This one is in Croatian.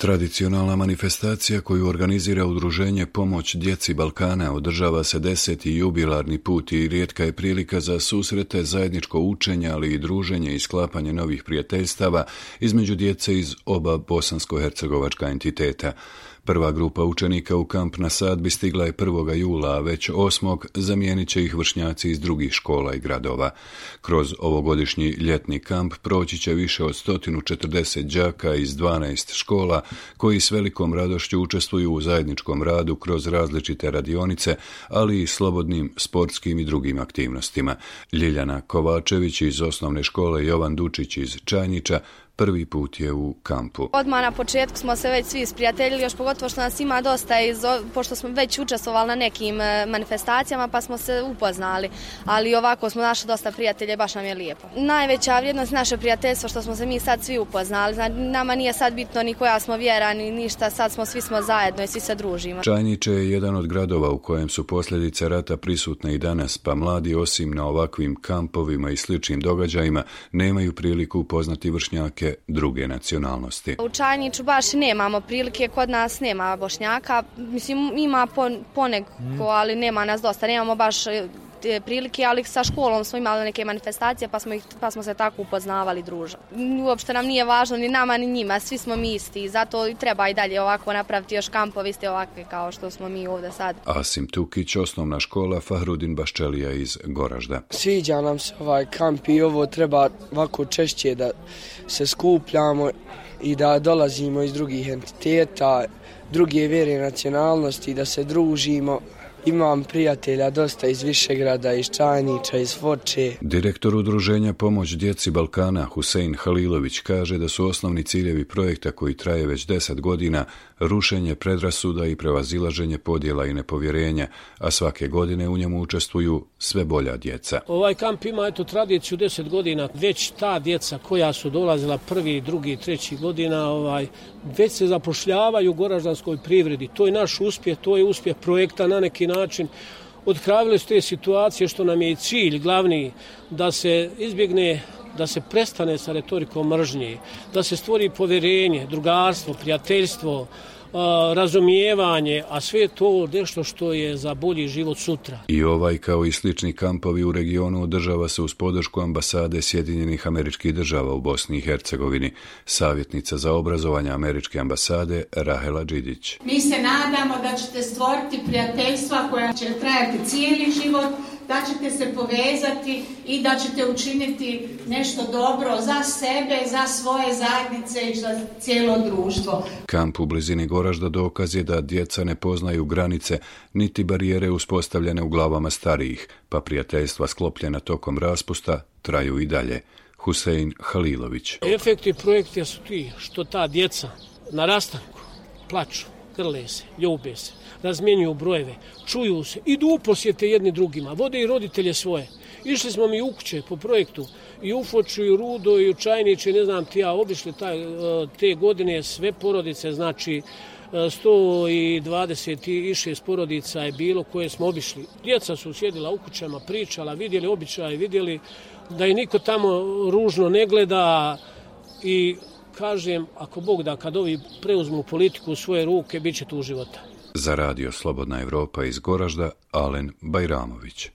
Tradicionalna manifestacija koju organizira udruženje Pomoć djeci Balkana održava se 10. jubilarni put i rijetka je prilika za susrete, zajedničko učenje, ali i druženje i sklapanje novih prijateljstava između djece iz oba bosansko-hercegovačka entiteta. Prva grupa učenika u kamp na Sadbi stigla je 1. jula, a već 8. zamijenit će ih vršnjaci iz drugih škola i gradova. Kroz ovogodišnji ljetni kamp proći će više od 140 đaka iz 12 škola koji s velikom radošću učestvuju u zajedničkom radu kroz različite radionice, ali i slobodnim sportskim i drugim aktivnostima. Ljiljana Kovačević iz osnovne škole Jovan Dučić iz Čajnića prvi put je u kampu. Odmah na početku smo se već svi sprijateljili, još pogotovo što nas ima dosta, pošto smo već učestvovali na nekim manifestacijama pa smo se upoznali, ali ovako smo našli dosta prijatelja i baš nam je lijepo. Najveća vrijednost naše prijateljstvo što smo se mi sad svi upoznali, znači, nama nije sad bitno ni koja smo vjera ni ništa, sad svi smo zajedno i svi se družimo. Čajniče je jedan od gradova u kojem su posljedice rata prisutne i danas, pa mladi osim na ovakvim kampovima i sličnim događajima nemaju priliku upoznati vršnjake druge nacionalnosti. U Čajniću baš nemamo prilike, kod nas nema Bošnjaka, mislim ima poneko, ali nema nas dosta, nemamo baš prilike, ali sa školom smo imali neke manifestacije pa smo se tako upoznavali, družili. Uopšte nam nije važno ni nama ni njima, svi smo mi isti, zato i treba i dalje ovako napraviti još kampovi iste ovakve kao što smo mi ovdje sad. Asim Tukić, osnovna škola Fahrudin Baščelija iz Goražda. Sviđa nam se ovaj kamp i ovo treba ovako češće da se skupljamo i da dolazimo iz drugih entiteta, druge vjere, nacionalnosti, da se družimo. Imam prijatelja dosta iz Višegrada, iz Čajnića, iz Foče. Direktor udruženja Pomoć djeci Balkana Husein Halilović kaže da su osnovni ciljevi projekta koji traje već 10 godina rušenje predrasuda i prevazilaženje podjela i nepovjerenja, a svake godine u njemu učestvuju sve bolja djeca. Ovaj kamp ima tradiciju 10 godina. Već ta djeca koja su dolazila 1., 2., 3. godina, već se zapošljavaju u goraždanskoj privredi. To je naš uspjeh, to je uspjeh projekta na neki način. Otkravili su te situacije što nam je i cilj glavni da se izbjegne, da se prestane sa retorikom mržnje, da se stvori povjerenje, drugarstvo, prijateljstvo, razumijevanje, a sve to nešto što je za bolji život sutra. I ovaj kao i slični kampovi u regionu održava se uz podršku ambasade Sjedinjenih Američkih Država u Bosni i Hercegovini. Savjetnica za obrazovanje američke ambasade Rahela Đidić. Mi se nadamo da ćete stvoriti prijateljstva koja će trajati cijeli život, da ćete se povezati i da ćete učiniti nešto dobro za sebe, za svoje zajednice i za cijelo društvo. Kamp u blizini Goražda dokaz je da djeca ne poznaju granice niti barijere uspostavljene u glavama starijih, pa prijateljstva sklopljena tokom raspusta traju i dalje. Husein Halilović. Efekti projekta su ti što ta djeca na rastanku plaču, grle se, ljube se, razmjenjuju brojeve, čuju se, idu u posjete jedni drugima, vode i roditelje svoje. Išli smo mi u kuće po projektu i u Foču, i u Rudo, i u Čajniće, ne znam ti ja, obišli te godine sve porodice, znači 126 porodica je bilo koje smo obišli. Djeca su sjedila u kućama, pričala, vidjeli običaje, vidjeli da i niko tamo ružno ne gleda i kažem, ako Bog da, kad ovi preuzmu politiku u svoje ruke, bit će tu života. Za radio Slobodna Evropa iz Goražda, Alen Bajramović.